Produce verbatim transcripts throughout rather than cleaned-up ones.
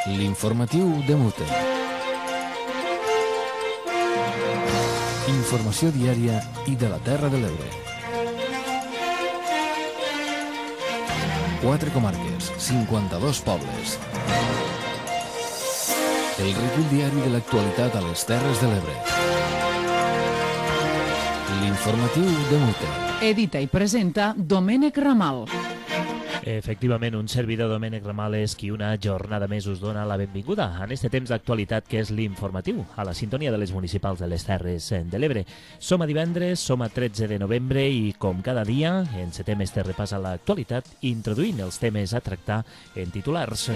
L'informatiu de Mute. Informació diària i de la Terra de l'Ebre. Quatre comarques, cinquanta-dos pobles. El recull diari de l'actualitat a les Terres de l'Ebre. L'informatiu de Mute. Edita i presenta Domènec Ramal. Efectivament, un servidor, Domènec Ramal, és qui una jornada més us dona la benvinguda en este temps d'actualitat que és l'informatiu, a la sintonia de les municipals de les Terres de l'Ebre. Som a divendres, som a tretze de novembre i, com cada dia, encetem este repàs a l'actualitat introduint els temes a tractar en titulars.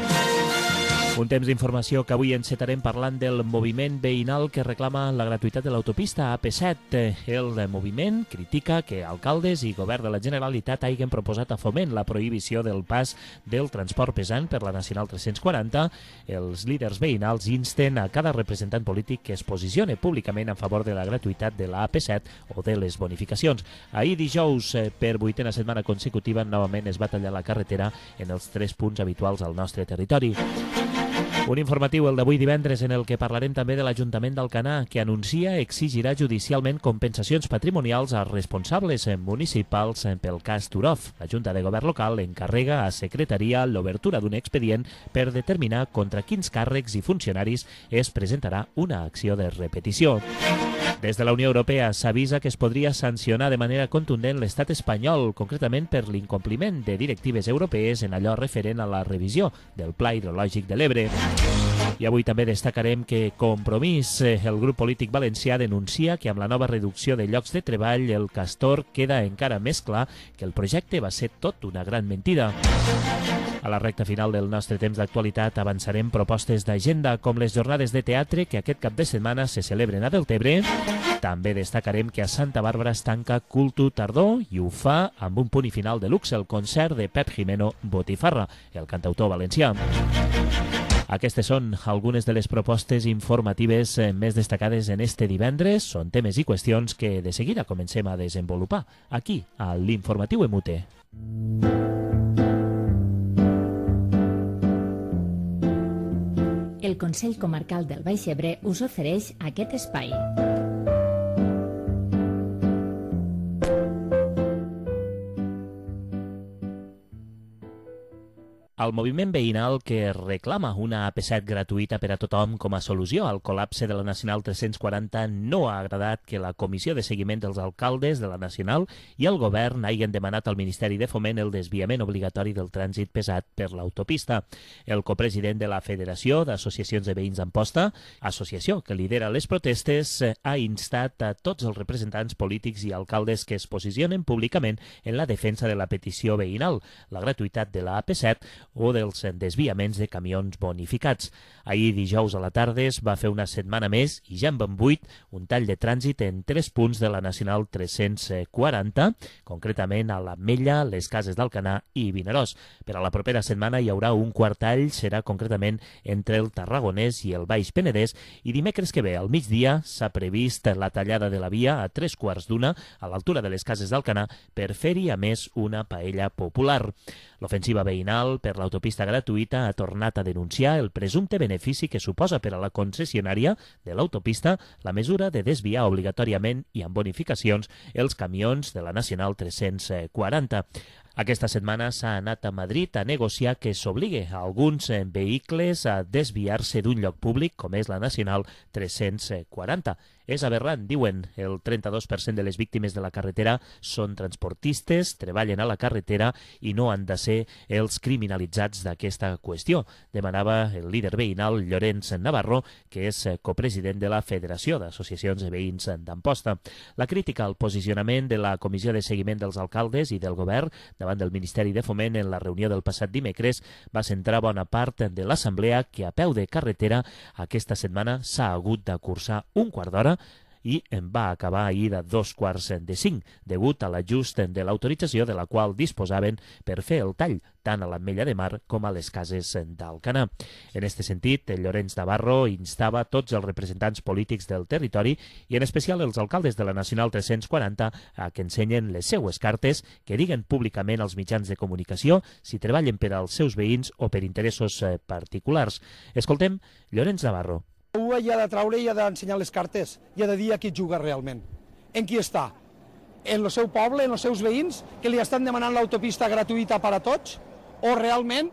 Un temps d'informació que avui encetarem parlant del moviment veïnal que reclama la gratuïtat de l'autopista A P set. El moviment critica que alcaldes i govern de la Generalitat hagin proposat a Foment la prohibició del pas del transport pesant per la Nacional tres-cents quaranta. Els líders veïnals insten a cada representant polític que es posicione públicament en favor de la gratuïtat de la A P set o de les bonificacions. Ahir dijous, per vuitena setmana consecutiva, novament es va tallar la carretera en els tres punts habituals al nostre territori. Un informatiu, el d'avui divendres, en el que parlarem també de l'Ajuntament d'Alcanar, que anuncia exigirà judicialment compensacions patrimonials als responsables municipals pel cas Turov. La Junta de Govern local encarrega a Secretaria l'obertura d'un expedient per determinar contra quins càrrecs i funcionaris es presentarà una acció de repetició. Des de la Unió Europea s'avisa que es podria sancionar de manera contundent l'estat espanyol, concretament per l'incompliment de directives europees en allò referent a la revisió del Pla Hidrològic de l'Ebre. I avui també destacarem que Compromís, el grup polític valencià, denuncia que amb la nova reducció de llocs de treball el Castor queda encara més clar que el projecte va ser tot una gran mentida. A la recta final del nostre temps d'actualitat avançarem propostes d'agenda com les jornades de teatre que aquest cap de setmana se celebren a Deltebre. També destacarem que a Santa Bàrbara es tanca Cultu Tardor i ho fa amb un punt i final de luxe, el concert de Pep Jimeno Botifarra, el cantautor valencià. Aquestes són algunes de les propostes informatives més destacades en este divendres. Són temes i qüestions que de seguida comencem a desenvolupar aquí, a l'Informatiu Emute. El Consell Comarcal del Baix Ebre us ofereix aquest espai. El moviment veïnal que reclama una A P set gratuïta per a tothom com a solució al col·lapse de la Nacional tres-cents quaranta no ha agradat que la Comissió de Seguiment dels Alcaldes de la Nacional i el Govern hagin demanat al Ministeri de Foment el desviament obligatori del trànsit pesat per l'autopista. El copresident de la Federació d'Associacions de Veïns d'Amposta, associació que lidera les protestes, ha instat a tots els representants polítics i alcaldes que es posicionen públicament en la defensa de la petició veïnal, la gratuïtat de la A P set o dels desviaments de camions bonificats. Ahir dijous a la tarda es va fer una setmana més i ja en van vuit un tall de trànsit en tres punts de la Nacional tres-cents quaranta, concretament a l'Ametlla, les Cases d'Alcanar i Vinaròs. Per a la propera setmana hi haurà un quart tall, serà concretament entre el Tarragonès i el Baix Penedès, i dimecres que ve al migdia s'ha previst la tallada de la via a tres quarts d'una a l'altura de les Cases d'Alcanar per fer-hi a més una paella popular. L'ofensiva veïnal per l'autopista gratuïta ha tornat a denunciar el presumpte benefici que suposa per a la concessionària de l'autopista la mesura de desviar obligatòriament i amb bonificacions els camions de la Nacional tres-cents quaranta. Aquesta setmana s'ha anat a Madrid a negociar que s'obligue a alguns vehicles a desviar-se d'un lloc públic com és la Nacional tres-cents quaranta. És aberrant, diuen. El trenta-dos per cent de les víctimes de la carretera són transportistes, treballen a la carretera i no han de ser els criminalitzats d'aquesta qüestió, demanava el líder veïnal Llorenç Navarro, que és copresident de la Federació d'Associacions de Veïns d'Amposta. La crítica al posicionament de la Comissió de Seguiment dels Alcaldes i del Govern davant del Ministeri de Foment en la reunió del passat dimecres va centrar bona part de l'assemblea que a peu de carretera aquesta setmana s'ha hagut de cursar un quart d'hora i en va acabar ahir de dos quarts de cinc, degut a l'ajust de l'autorització de la qual disposaven per fer el tall tant a l'Ametlla de Mar com a les cases d'Alcanar. En aquest sentit, el Llorenç Navarro instava tots els representants polítics del territori i en especial els alcaldes de la Nacional tres-cents quaranta a que ensenyen les seues cartes, que diguen públicament als mitjans de comunicació si treballen per als seus veïns o per interessos particulars. Escoltem Llorenç Navarro. U ha de traure i ha d'ensenyar les cartes i ha de dir a qui juga realment. En qui està? En el seu poble, en els seus veïns, que li estan demanant l'autopista gratuïta per a tots? O realment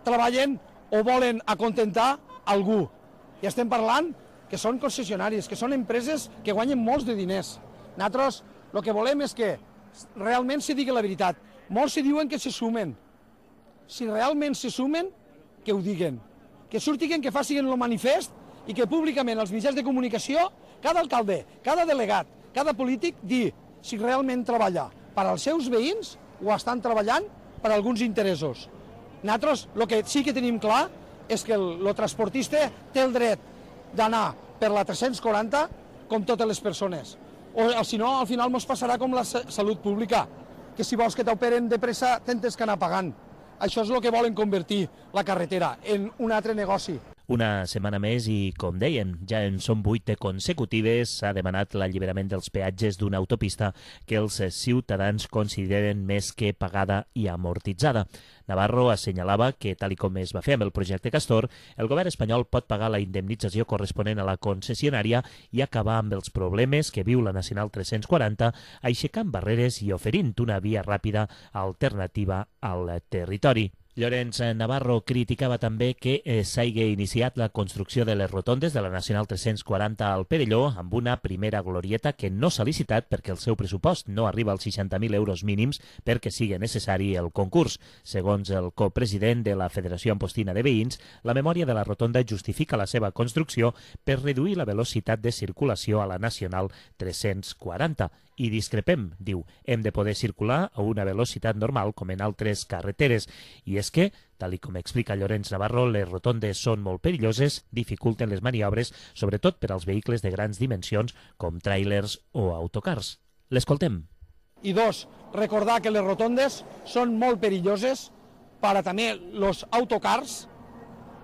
treballen o volen acontentar algú? I estem parlant que són concessionaris, que són empreses que guanyen molts de diners. Nosaltres el que volem és que realment se digui la veritat. Molts se diuen que se sumen. Si realment se sumen, que ho diguen. Que surtiguen, que facin el manifest i que públicament als mitjans de comunicació cada alcalde, cada delegat, cada polític dir si realment treballa per als seus veïns o estan treballant per a alguns interessos. Nosaltres el que sí que tenim clar és que el, el transportista té el dret d'anar per la tres-cents quaranta com totes les persones. O si no, al final ens passarà com la salut pública, que si vols que t'operen de pressa tens que anar pagant. Això és el que volen convertir la carretera en un altre negoci. Una setmana més i, com deien, ja en són vuit consecutives, s'ha demanat l'alliberament dels peatges d'una autopista que els ciutadans consideren més que pagada i amortitzada. Navarro assenyalava que, tal com es va fer amb el projecte Castor, el govern espanyol pot pagar la indemnització corresponent a la concessionària i acabar amb els problemes que viu la Nacional tres-cents quaranta, aixecant barreres i oferint una via ràpida alternativa al territori. Llorenç Navarro criticava també que eh, s'hagi iniciat la construcció de les rotondes de la Nacional tres-cents quaranta al Perelló amb una primera glorieta que no s'ha licitat perquè el seu pressupost no arriba als seixanta mil euros mínims perquè sigui necessari el concurs. Segons el copresident de la Federació Ampostina de Veïns, la memòria de la rotonda justifica la seva construcció per reduir la velocitat de circulació a la Nacional tres-cents quaranta. I discrepem, diu, hem de poder circular a una velocitat normal com en altres carreteres. I és que, tal com explica Llorenç Navarro, les rotondes són molt perilloses, dificulten les maniobres, sobretot per als vehicles de grans dimensions com tràilers o autocars. L'escoltem. I dos, recordar que les rotondes són molt perilloses per a també els autocars,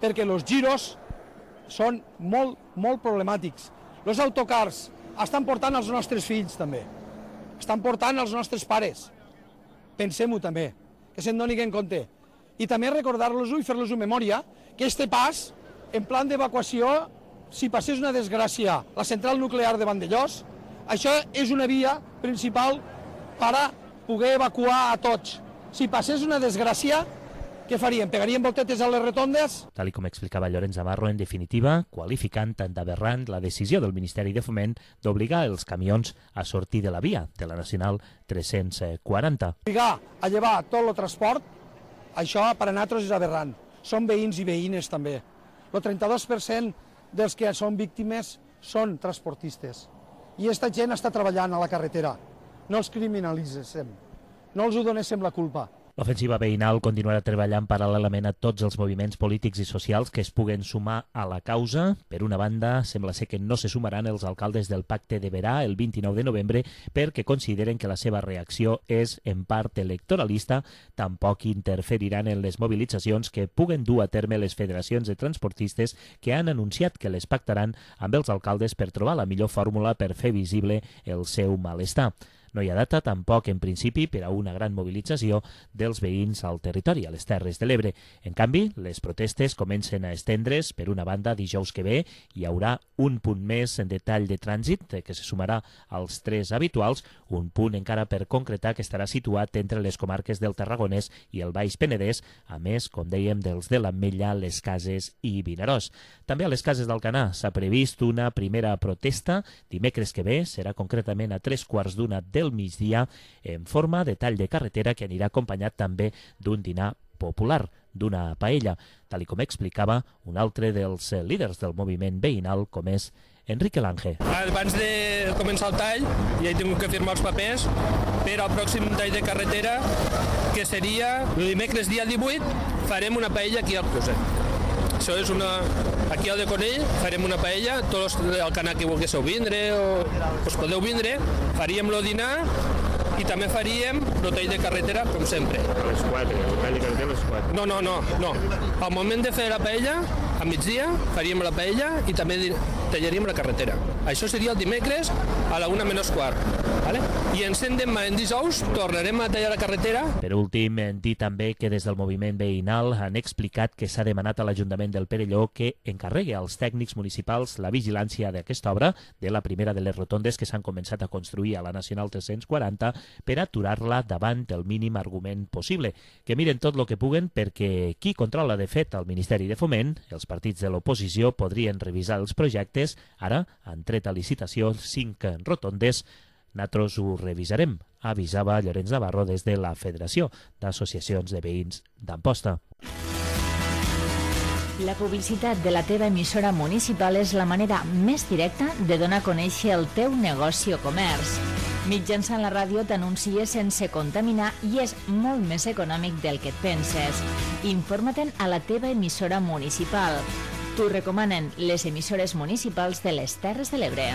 perquè els giros són molt, molt problemàtics. Els autocars estan portant els nostres fills també. Estan portant els nostres pares. Pensem-ho també, que se'n doni en compte. I també recordar-los-ho i fer-los-ho memòria, que este pas, en plan d'evacuació, si passés una desgràcia a la central nuclear de Vandellós, això és una via principal per a poder evacuar a tots. Si passés una desgràcia, què faríem? Pegaríem voltetes a les rotondes? Tal com explicava Llorenç Navarro, en definitiva, qualificant d'aberrant la decisió del Ministeri de Foment d'obligar els camions a sortir de la via de la Nacional tres-cents quaranta. Obligar a llevar tot el transport, això per a nosaltres és aberrant. Són veïns i veïnes també. El trenta-dos per cent dels que són víctimes són transportistes. I aquesta gent està treballant a la carretera. No els criminalitzem, no els ho donéssim la culpa. L'ofensiva veïnal continuarà treballant paral·lelament a tots els moviments polítics i socials que es puguen sumar a la causa. Per una banda, sembla ser que no se sumaran els alcaldes del Pacte de Verà el vint-i-nou de novembre perquè consideren que la seva reacció és en part electoralista. Tampoc interferiran en les mobilitzacions que puguen dur a terme les federacions de transportistes que han anunciat que les pactaran amb els alcaldes per trobar la millor fórmula per fer visible el seu malestar. No hi ha data, tampoc, en principi, per a una gran mobilització dels veïns al territori, a les Terres de l'Ebre. En canvi, les protestes comencen a estendre's. Per una banda, dijous que ve hi haurà un punt més en detall de trànsit que se sumarà als tres habituals, un punt encara per concretar que estarà situat entre les comarques del Tarragonès i el Baix Penedès, a més, com dèiem, dels de l'Ametlla, les Cases i Vinaròs. També a les Cases d'Alcanar s'ha previst una primera protesta. Dimecres que ve serà concretament a tres quarts d'una del del migdia en forma de tall de carretera que anirà acompanyat també d'un dinar popular, d'una paella, tal com explicava un altre dels líders del moviment veïnal, com és Enrique Lange. Abans de començar el tall ja he tingut que firmar els papers per al pròxim tall de carretera, que seria el dimecres dia divuit, farem una paella aquí al cruce. això és una... Aquí al de Conell farem una paella, tots els Alcanar que volguéssiu vindre o us podeu vindre, faríem lo dinar i també faríem el tall de carretera, com sempre. A les quatre, el tall de carretera a les quatre. No, no, no, no. Al moment de fer la paella, a migdia, faríem la paella i també tallaríem la carretera. Això seria el dimecres a la una menys quart. Vale? I ens en demà, en dijous, tornarem a tallar la carretera. Per últim, dir també que des del moviment veïnal han explicat que s'ha demanat a l'Ajuntament del Perelló que encarregui als tècnics municipals la vigilància d'aquesta obra, de la primera de les rotondes que s'han començat a construir a la Nacional tres-cents quaranta, per aturar-la davant el mínim argument possible. Que miren tot el que puguen perquè qui controla de fet el Ministeri de Foment, els partits de l'oposició, podrien revisar els projectes. Ara han tret a licitació cinc rotondes. Nosaltres ho revisarem, avisava Llorenç Navarro des de la Federació d'Associacions de Veïns d'Amposta. La publicitat de la teva emissora municipal és la manera més directa de donar a conèixer el teu negoci o comerç. Mitjançant la ràdio t'anuncies sense contaminar i és molt més econòmic del que et penses. Informa-te'n a la teva emissora municipal. T'ho recomanen les emissores municipals de les Terres de l'Ebre.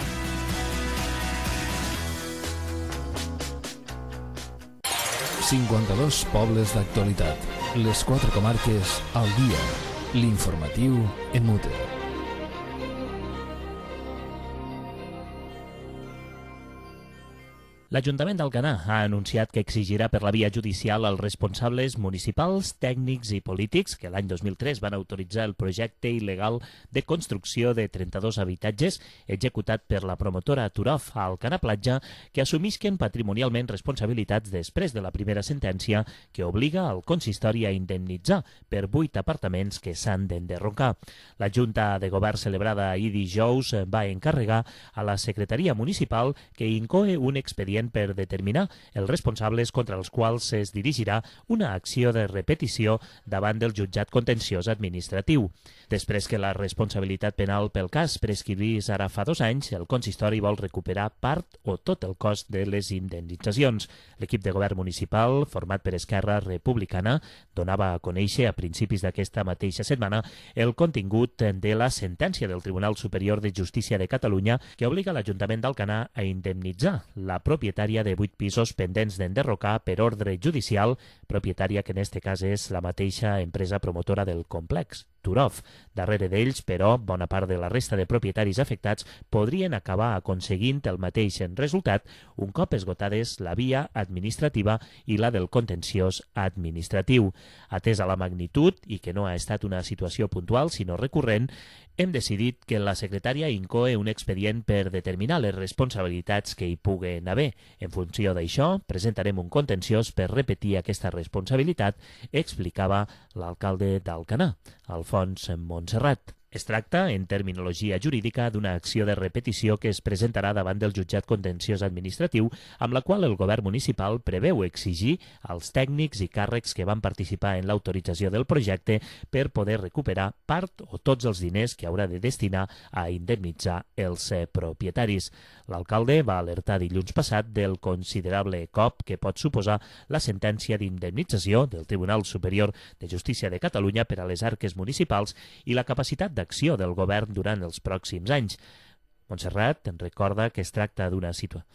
cinquanta-dos pobles d'actualitat. Les quatre comarques al dia. L'informatiu en mute. L'Ajuntament d'Alcanar ha anunciat que exigirà per la via judicial als responsables municipals, tècnics i polítics que l'any dos mil tres van autoritzar el projecte il·legal de construcció de trenta-dos habitatges executat per la promotora Turov a Alcanar Platja, que assumisquen patrimonialment responsabilitats després de la primera sentència que obliga al consistori a indemnitzar per vuit apartaments que s'han d'enderrocar. La Junta de Govern celebrada ahir dijous va encarregar a la Secretaria Municipal que incoe un expedient per determinar els responsables contra els quals es dirigirà una acció de repetició davant del jutjat contenciós administratiu. Després que la responsabilitat penal pel cas prescrivís ara fa dos anys, el consistori vol recuperar part o tot el cost de les indemnitzacions. L'equip de govern municipal, format per Esquerra Republicana, donava a conèixer a principis d'aquesta mateixa setmana el contingut de la sentència del Tribunal Superior de Justícia de Catalunya que obliga l'Ajuntament d'Alcanar a indemnitzar la propietària de vuit pisos pendents d'enderrocar per ordre judicial, propietària que en este cas és la mateixa empresa promotora del complex, Turov. Darrere d'ells, però, bona part de la resta de propietaris afectats podrien acabar aconseguint el mateix resultat un cop esgotades la via administrativa i la del contenciós administratiu. Atès a la magnitud i que no ha estat una situació puntual sinó recurrent, hem decidit que la secretària incoe un expedient per determinar les responsabilitats que hi puguen haver. En funció d'això, presentarem un contenciós per repetir aquesta responsabilitat, explicava l'alcalde d'Alcanar, Alfons Montserrat. Es tracta, en terminologia jurídica, d'una acció de repetició que es presentarà davant del jutjat contenciós administratiu, amb la qual el govern municipal preveu exigir als tècnics i càrrecs que van participar en l'autorització del projecte per poder recuperar part o tots els diners que haurà de destinar a indemnitzar els propietaris. L'alcalde va alertar dilluns passat del considerable cop que pot suposar la sentència d'indemnització del Tribunal Superior de Justícia de Catalunya per a les arques municipals i la capacitat d'acció del govern durant els pròxims anys. Montserrat recorda que es tracta d'una situació.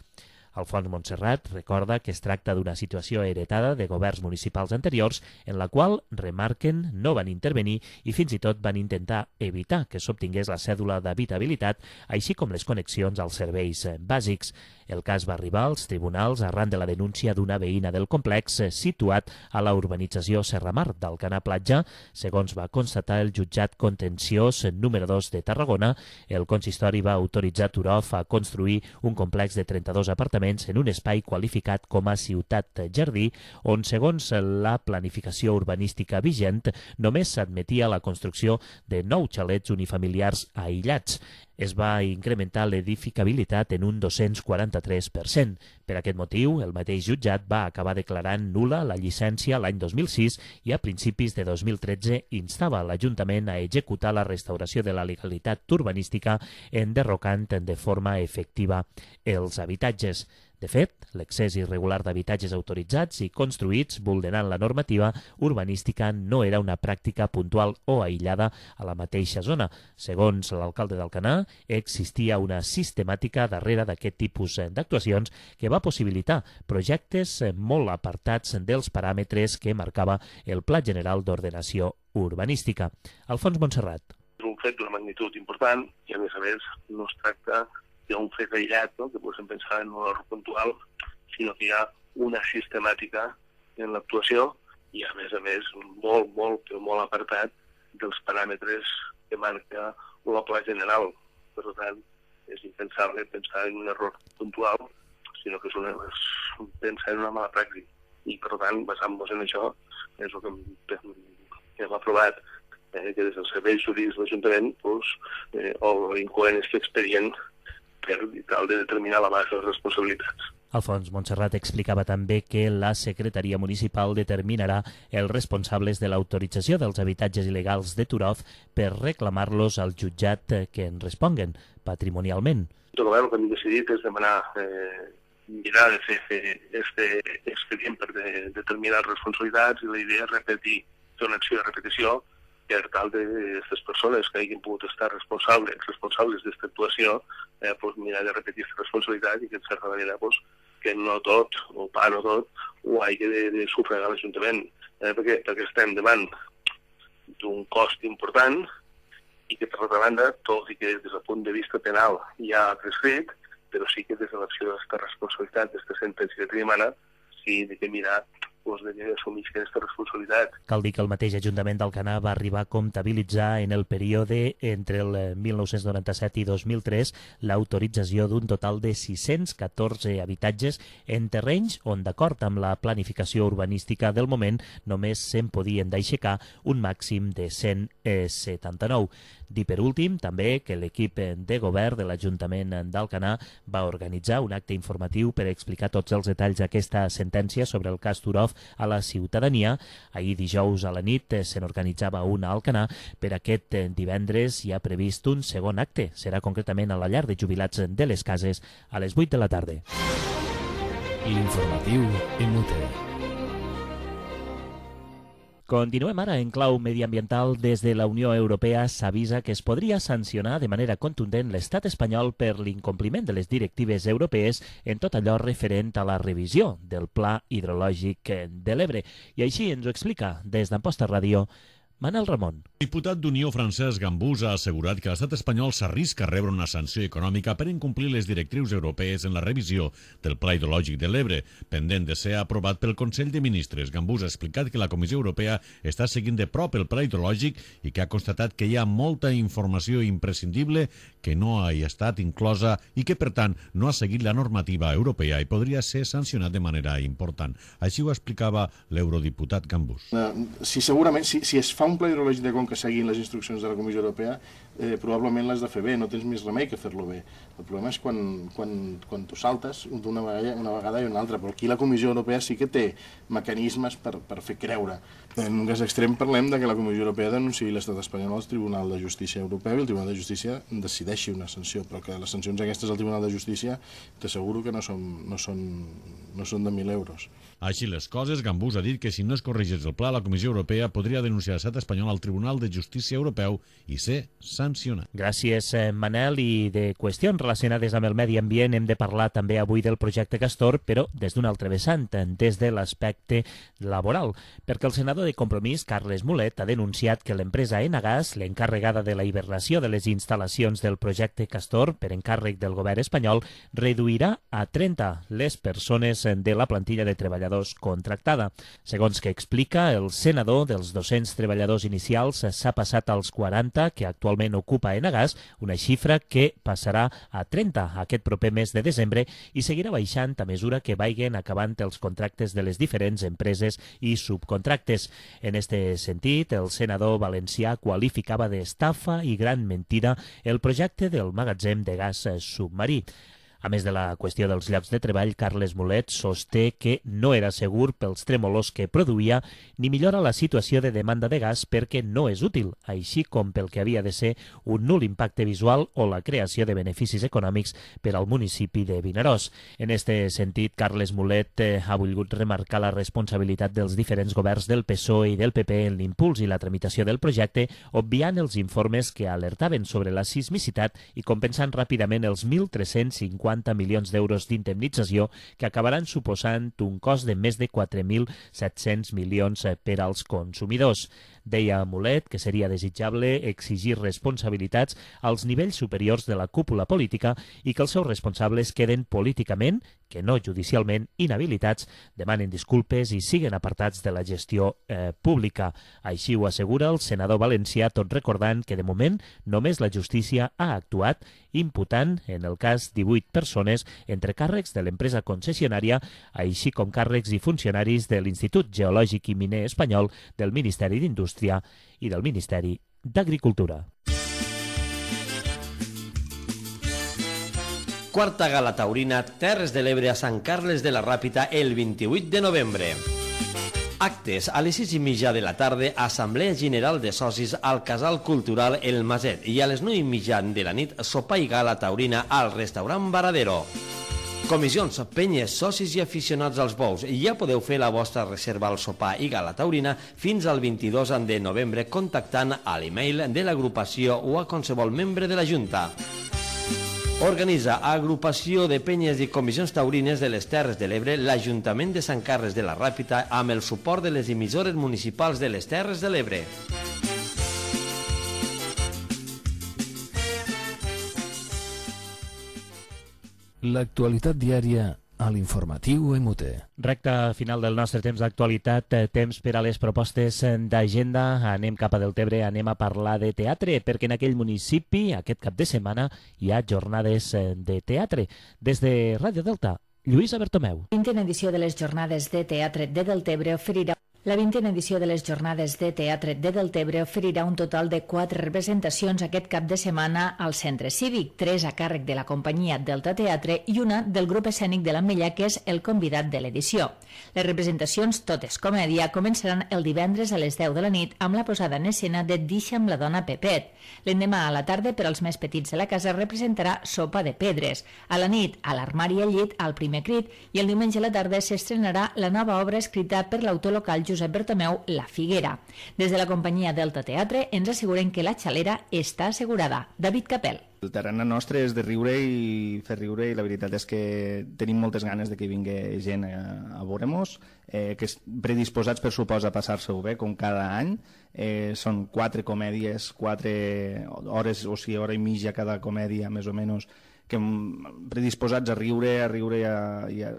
Alfons Montserrat recorda que es tracta d'una situació heretada de governs municipals anteriors en la qual, remarquen, no van intervenir i fins i tot van intentar evitar que s'obtingués la cèdula d'habitabilitat, així com les connexions als serveis bàsics. El cas va arribar als tribunals arran de la denúncia d'una veïna del complex situat a la urbanització Serramar d'Alcanar Platja. Segons va constatar el jutjat contenciós número dos de Tarragona, el consistori va autoritzar Turov a construir un complex de trenta-dos apartaments en un espai qualificat com a ciutat-jardí, on, segons la planificació urbanística vigent, només s'admetia la construcció de nou xalets unifamiliars aïllats. Es va incrementar l'edificabilitat en un dos-cents quaranta-tres per cent. Per aquest motiu, el mateix jutjat va acabar declarant nul·la la llicència l'any dos mil sis i a principis de dos mil tretze instava l'Ajuntament a executar la restauració de la legalitat urbanística enderrocant de forma efectiva els habitatges. De fet, l'excés irregular d'habitatges autoritzats i construïts vulnerant la normativa urbanística no era una pràctica puntual o aïllada a la mateixa zona. Segons l'alcalde d'Alcanar, existia una sistemàtica darrere d'aquest tipus d'actuacions que va possibilitar projectes molt apartats dels paràmetres que marcava el Pla General d'Ordenació Urbanística. Alfons Montserrat. És un fet d'una magnitud important i, a més a més, no es tracta d'un fet aïllat, no? Que poguéssim pensar en un error puntual, sinó que hi ha una sistemàtica en l'actuació i, a més a més, molt, molt, molt apartat dels paràmetres que marca el Pla General. Per tant, és impensable pensar en un error puntual, sinó que és, una, és pensar en una mala pràctica. I, per tant, basant-nos en això, és el que hem, que hem aprovat, eh, que des dels serveis jurídics de l'Ajuntament doncs, eh, o incoent aquest expedient per tal de determinar l'abast de les responsabilitats. Alfons Montserrat explicava també que la Secretaria Municipal determinarà els responsables de l'autorització dels habitatges il·legals de Turov per reclamar-los al jutjat que en responguen patrimonialment. El govern el que hem decidit és demanar eh, mirar de fer aquest expedient per de, determinar les responsabilitats i la idea és repetir, fer una acció de repetició per tal d'aquestes persones que hagin pogut estar responsables responsables d'aquesta actuació, eh, pues mirar de repetir aquesta responsabilitat i que, en certa manera, pues, que no tot, o pa no tot, ho hagi de, de sufragar l'Ajuntament, eh, perquè, perquè estem davant d'un cost important i que, per altra banda, tot i que des del punt de vista penal hi ha prescrit, però sí que des de l'acció d'aquesta responsabilitat, d'aquesta sentència que demana, sí de que mirar doncs, d'assumir aquesta responsabilitat. Cal dir que el mateix Ajuntament d'Alcanar va arribar a comptabilitzar en el període entre el mil nou-cents noranta-set i dos mil tres l'autorització d'un total de sis-cents catorze habitatges en terrenys on, d'acord amb la planificació urbanística del moment, només se'n podien d'aixecar un màxim de cent setanta-nou. Dir per últim també que l'equip de govern de l'Ajuntament d'Alcanar va organitzar un acte informatiu per explicar tots els detalls d'aquesta sentència sobre el cas Turov a la ciutadania. Ahir dijous a la nit se n'organitzava una a Alcanar. Per aquest divendres hi ha previst un segon acte. Serà concretament a la llar de jubilats de les Cases a les vuit de la tarda. L'informatiu M T. Continuem ara en clau mediambiental. Des de la Unió Europea s'avisa que es podria sancionar de manera contundent l'estat espanyol per l'incompliment de les directives europees en tot allò referent a la revisió del Pla Hidrològic de l'Ebre. I així ens ho explica des d'Amposta Ràdio Manel Ramon. El diputat d'Unió Francesc Gambús ha assegurat que l'estat espanyol s'arrisca a rebre una sanció econòmica per incomplir les directrius europees en la revisió del Pla Hidrològic de l'Ebre, pendent de ser aprovat pel Consell de Ministres. Gambús ha explicat que la Comissió Europea està seguint de prop el Pla Hidrològic i que ha constatat que hi ha molta informació imprescindible que no ha estat inclosa i que, per tant, no ha seguit la normativa europea i podria ser sancionat de manera important. Així ho explicava l'eurodiputat Gambús. Si segurament, si, si es fa un pla hidrològic de conca seguint les instruccions de la Comissió Europea, eh, probablement l'has de fer bé, no tens més remei que fer-lo bé. El problema és quan, quan, quan tu saltes d'una vegada, una vegada i una altra, però aquí la Comissió Europea sí que té mecanismes per, per fer creure. En un cas extrem parlem de que la Comissió Europea denunciï l'estat espanyol al Tribunal de Justícia Europeu i el Tribunal de Justícia decideixi una sanció, però que les sancions aquestes al Tribunal de Justícia t'asseguro que no són, no, són, no són de mil euros. Així les coses, Gambús ha dit que si no es corregeix el pla, la Comissió Europea podria denunciar l'estat espanyol al Tribunal de Justícia Europeu i ser sancionat. Gràcies, Manel. I de qüestions relacionades amb el medi ambient hem de parlar també avui del projecte Castor, però des d'un altre vessant, des de l'aspecte laboral, perquè el senador de Compromís, Carles Mulet, ha denunciat que l'empresa Enagas, l'encarregada de la hibernació de les instal·lacions del projecte Castor per encàrrec del govern espanyol, reduirà a trenta les persones de la plantilla de treballadors contractada. Segons que explica el senador, dels dos-cents treballadors inicials s'ha passat als quaranta que actualment ocupa Enagas, una xifra que passarà a trenta aquest proper mes de desembre i seguirà baixant a mesura que vagin acabant els contractes de les diferents empreses i subcontractes. En este sentit, el senador valencià qualificava d'estafa i gran mentida el projecte del magatzem de gas submarí. A més de la qüestió dels llocs de treball, Carles Mulet sosté que no era segur pels tremolors que produïa ni millora la situació de demanda de gas perquè no és útil, així com pel que havia de ser un nul impacte visual o la creació de beneficis econòmics per al municipi de Vinaròs. En este sentit, Carles Mulet eh, ha volgut remarcar la responsabilitat dels diferents governs del P S O E i del P P en l'impuls i la tramitació del projecte, obviant els informes que alertaven sobre la sismicitat i compensant ràpidament els mil tres-cents cinquanta milions d'euros d'indemnització que acabaran suposant un cost de més de quatre mil set-cents milions per als consumidors. Deia Mulet que seria desitjable exigir responsabilitats als nivells superiors de la cúpula política i que els seus responsables queden políticament, que no judicialment, inhabilitats, demanen disculpes i siguen apartats de la gestió eh, pública. Així ho assegura el senador valencià, tot recordant que de moment només la justícia ha actuat imputant, en el cas, divuit persones entre càrrecs de l'empresa concessionària, així com càrrecs i funcionaris de l'Institut Geològic i Miner Espanyol, del Ministeri d'Indústria i del Ministeri d'Agricultura. Quarta Gala Taurina, Terres de l'Ebre a Sant Carles de la Ràpita el vint-i-vuit de novembre. Actes a les sis i mitja de la tarda, Assemblea General de Socis al Casal Cultural El Maset i a les nou i mitja de la nit, sopar i gala taurina al restaurant Varadero. Comissions, penyes, socis i aficionats als bous. Ja podeu fer la vostra reserva al sopar i gala taurina fins al vint-i-dos de novembre contactant a l'email de l'agrupació o a qualsevol membre de la Junta. Organitza Agrupació de Penyes i Comissions Taurines de les Terres de l'Ebre l'Ajuntament de Sant Carles de la Ràpita amb el suport de les emissores municipals de les Terres de l'Ebre. L'actualitat diària a l'informatiu M U T. Recta final del nostre temps d'actualitat, temps per a les propostes d'agenda. Anem cap a Deltebre, anem a parlar de teatre, perquè en aquell municipi aquest cap de setmana hi ha jornades de teatre. Des de Ràdio Delta, Lluïsa Bertomeu. La vintena edició de les jornades de teatre de Deltebre oferirà La vintena edició de les jornades de teatre de Deltebre oferirà un total de quatre representacions aquest cap de setmana al Centre Cívic, tres a càrrec de la companyia Delta Teatre i una del grup escènic de l'Ametlla, que és el convidat de l'edició. Les representacions, totes comèdia, començaran el divendres a les deu de la nit amb la posada en escena de Deixa'm la dona Pepet. L'endemà a la tarda, per als més petits de la casa, representarà Sopa de pedres. A la nit, a l'armari al llit, al primer crit, i el diumenge a la tarda s'estrenarà la nova obra escrita per l'autor local Josep Bertomeu, La Figuera. Des de la companyia Delta Teatre ens asseguren que la xalera està assegurada. David Capel. El terreny nostre és de riure i fer riure, i la veritat és que tenim moltes ganes de que vingui gent a, a veure-mos, eh, que predisposats, per suposa, a passar-se-ho bé, com cada any. Eh, són quatre comèdies, quatre hores, o sigui, hora i mitja cada comèdia, més o menys, que predisposats a riure, a riure i a, i a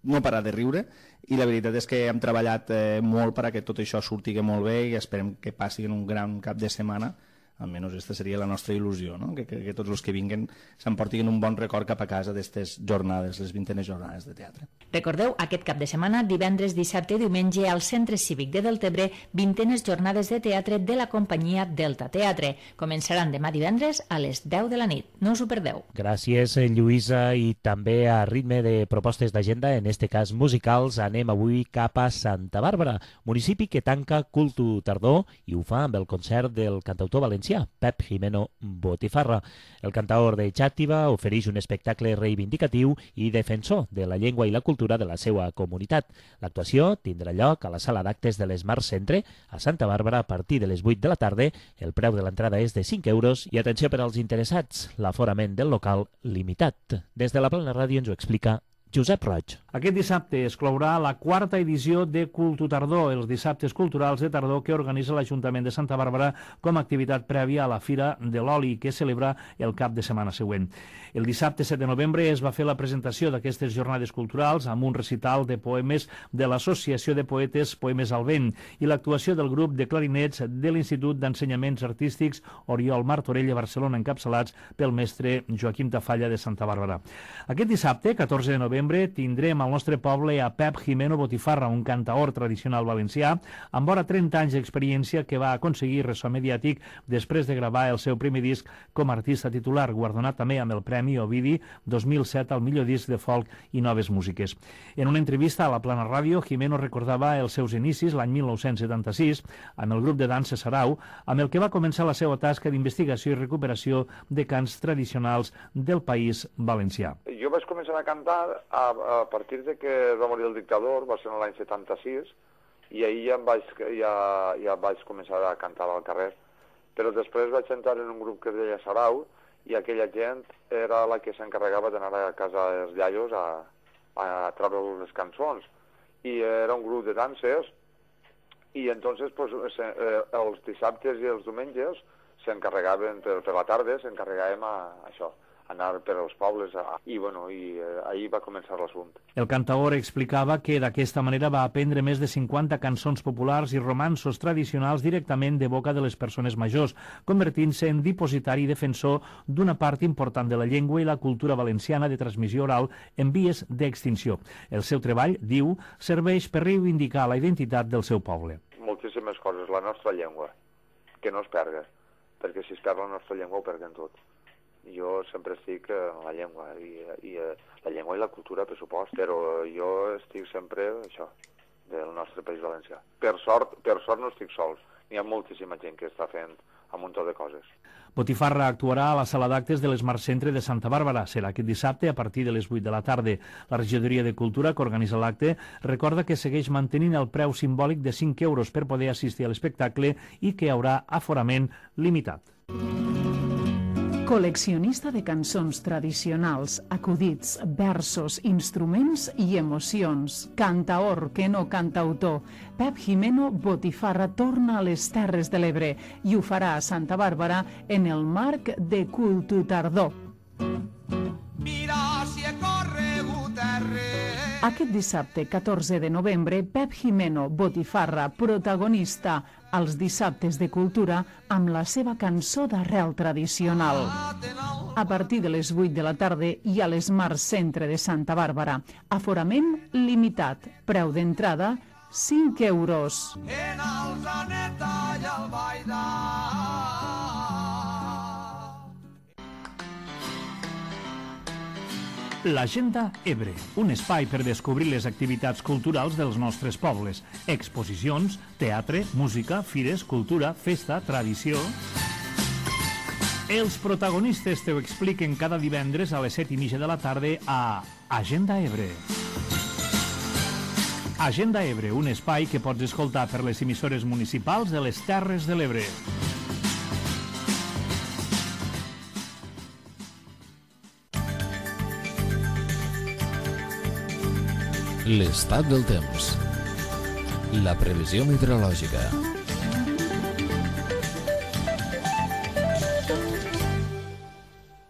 no parar de riure, i la veritat és que hem treballat eh, molt perquè tot això surti molt bé i esperem que passi en un gran cap de setmana. Almenys aquesta seria la nostra il·lusió, no? que, que, que tots els que vinguen s'emportin un bon record cap a casa d'aquestes jornades, les vintenes jornades de teatre. Recordeu, aquest cap de setmana, divendres, dissabte i diumenge, al Centre Cívic de Deltebre, vintenes jornades de teatre de la companyia Delta Teatre. Començaran demà divendres a les deu de la nit. No us ho perdeu. Gràcies, Lluïsa, i també a ritme de propostes d'agenda, en este cas musicals, anem avui cap a Santa Bàrbara, municipi que tanca Cultu Tardor i ho fa amb el concert del cantautor valencià Pep Jimeno Botifarra. El cantaor de Xàtiva ofereix un espectacle reivindicatiu i defensor de la llengua i la cultura de la seva comunitat. L'actuació tindrà lloc a la sala d'actes de l'Esmar Centre a Santa Bàrbara a partir de les vuit de la tarda. El preu de l'entrada és de cinc euros i, atenció per als interessats, l'aforament del local limitat. Des de la Plana Ràdio ens ho explica Josep Roig. Aquest dissabte es clourà la quarta edició de Cultu Tardor, els dissabtes culturals de tardor que organitza l'Ajuntament de Santa Bàrbara com a activitat prèvia a la Fira de l'Oli, que es celebra el cap de setmana següent. El dissabte set de novembre es va fer la presentació d'aquestes jornades culturals amb un recital de poemes de l'Associació de Poetes Poemes al Vent i l'actuació del grup de clarinets de l'Institut d'Ensenyaments Artístics Oriol Martorell a Barcelona, encapçalats pel mestre Joaquim Tafalla de Santa Bàrbara. Aquest dissabte, catorze de novembre, tindrem al nostre poble a Pep Jimeno Botifarra, un cantaor tradicional valencià, amb vora trenta anys d'experiència que va aconseguir ressò mediàtic després de gravar el seu primer disc com a artista titular, guardonat també amb el Premi Ovidi dos mil set al millor disc de folk i noves músiques. En una entrevista a la Plana Ràdio, Jimeno recordava els seus inicis l'any mil nou-cents setanta-sis amb el grup de dansa Sarau, amb el que va començar la seva tasca d'investigació i recuperació de cants tradicionals del país valencià. Jo vaig començar a cantar a, a partir de que va morir el dictador, va ser l'any setanta-sis, i ahir ja, vaig, ja, ja vaig començar a cantar al carrer. Però després vaig entrar en un grup que es deia Sarau, i aquella gent era la que s'encarregava d'anar a casa dels iaios a, a treure les cançons. I era un grup de danses, i entonces pues, eh, els dissabtes i els diumenges s'encarregaven, per, per la tarda s'encarregàvem a, a això, anar per als pobles, a, i, bueno, i eh, ahir va començar l'assumpte. El cantaor explicava que d'aquesta manera va aprendre més de cinquanta cançons populars i romanços tradicionals directament de boca de les persones majors, convertint-se en dipositari i defensor d'una part important de la llengua i la cultura valenciana de transmissió oral en vies d'extinció. El seu treball, diu, serveix per reivindicar la identitat del seu poble. Moltíssimes coses, la nostra llengua, que no es perga, perquè si es perd la nostra llengua ho perdem tot. Jo sempre estic en la llengua, i, i la llengua i la cultura, per supost, però jo estic sempre, això, del nostre país valencià. Per sort, per sort no estic sols, n'hi ha moltíssima gent que està fent un munt de coses. Botifarra actuarà a la sala d'actes de l'Smart Centre de Santa Bàrbara. Serà aquest dissabte a partir de les vuit de la tarda. La regidoria de Cultura, que organitza l'acte, recorda que segueix mantenint el preu simbòlic de cinc euros per poder assistir a l'espectacle i que hi haurà aforament limitat. Col·leccionista de cançons tradicionals, acudits, versos, instruments i emocions. Cantaor, que no cantautor. Pep Jimeno Botifarra torna a les Terres de l'Ebre i ho farà a Santa Bàrbara en el marc de Cultutardor. Mira si he corregut terre. Aquest dissabte, catorze de novembre, Pep Jimeno Botifarra, protagonista als dissabtes de cultura amb la seva cançó d'arrel tradicional. A partir de les vuit de la tarda i a l'Smart Centre de Santa Bàrbara. Aforament limitat. Preu d'entrada, cinc euros. En el Zaneta i el Baida. L'Agenda Ebre, un espai per descobrir les activitats culturals dels nostres pobles. Exposicions, teatre, música, fires, cultura, festa, tradició... Els protagonistes te ho expliquen cada divendres a les set i mitja de la tarda a Agenda Ebre. Agenda Ebre, un espai que pots escoltar per les emissores municipals de les Terres de l'Ebre. L'estat del temps. La previsió meteorològica.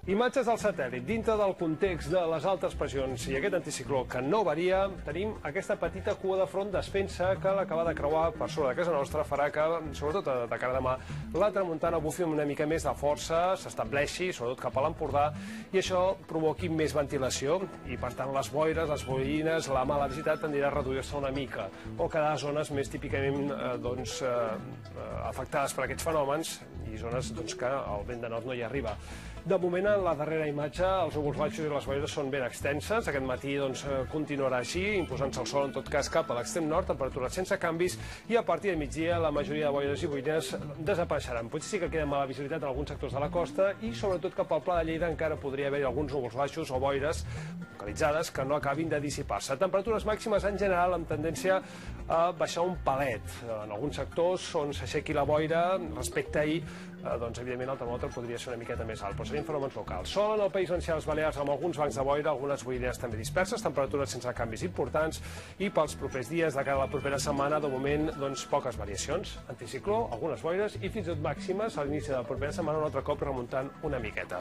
Imatges del satèl·lit. Dintre del context de les altes pressions i aquest anticicló que no varia, tenim aquesta petita cua de front desfensa que l'acaba de creuar per sobre de casa nostra farà que, sobretot de cara a demà, la tramuntana bufi amb una mica més de força, s'estableixi, sobretot cap a l'Empordà, i això provoqui més ventilació i, per tant, les boires, les boirines, la mala visitat tendirà a reduir-se una mica o quedar zones més típicament eh, doncs, eh, afectades per aquests fenòmens i zones doncs, que el vent de nord no hi arriba. De moment, en la darrera imatge, els núvols baixos i les boires són ben extenses. Aquest matí doncs, continuarà així, imposant-se el sol en tot cas cap a l'extrem nord, temperatures sense canvis, i a partir de migdia la majoria de boires i boirines desapareixeran. Potser sí que queda mala visibilitat en alguns sectors de la costa i sobretot cap al Pla de Lleida encara podria haver-hi alguns núvols baixos o boires localitzades que no acabin de dissipar-se. Temperatures màximes en general amb tendència a baixar un palet. En alguns sectors on s'aixequi la boira respecte a ahir, doncs evidentment el termòmetre podria ser una miqueta més alt, però serien fenòmens locals. Sol en el País Valencià, les Balears, amb alguns bancs de boira, algunes boirines també disperses, temperatures sense canvis importants, i pels propers dies, de cara a la propera setmana, de moment, doncs, poques variacions. Anticicló, algunes boires i fins i tot màximes a l'inici de la propera setmana un altre cop remuntant una miqueta.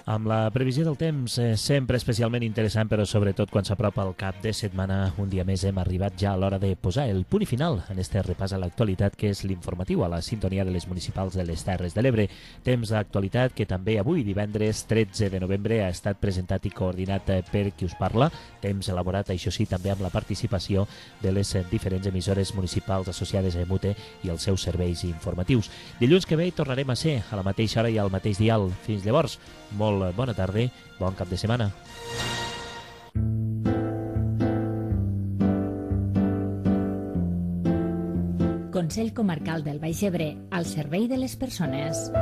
Amb la previsió del temps, eh, sempre especialment interessant, però sobretot quan s'apropa el cap de setmana, un dia més hem arribat ja a l'hora de posar el punt i final en este repàs a l'actualitat, que és l'informatiu a la sintonia de les municipals de les Terres de l'Ebre. Temps d'actualitat que també avui, divendres tretze de novembre, ha estat presentat i coordinat per qui us parla. Temps elaborat, això sí, també amb la participació de les diferents emissores municipals associades a Emute i els seus serveis informatius. Dilluns que ve hi tornarem a ser a la mateixa hora i al mateix dial. Fins llavors, molt bona tarda, bon cap de setmana. Consell Comarcal del Baix Ebre, al servei de les persones.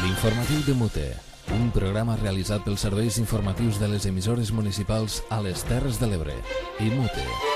L'informatiu de Mute, un programa realitzat pels serveis informatius de les emissores municipals a les Terres de l'Ebre i Mute.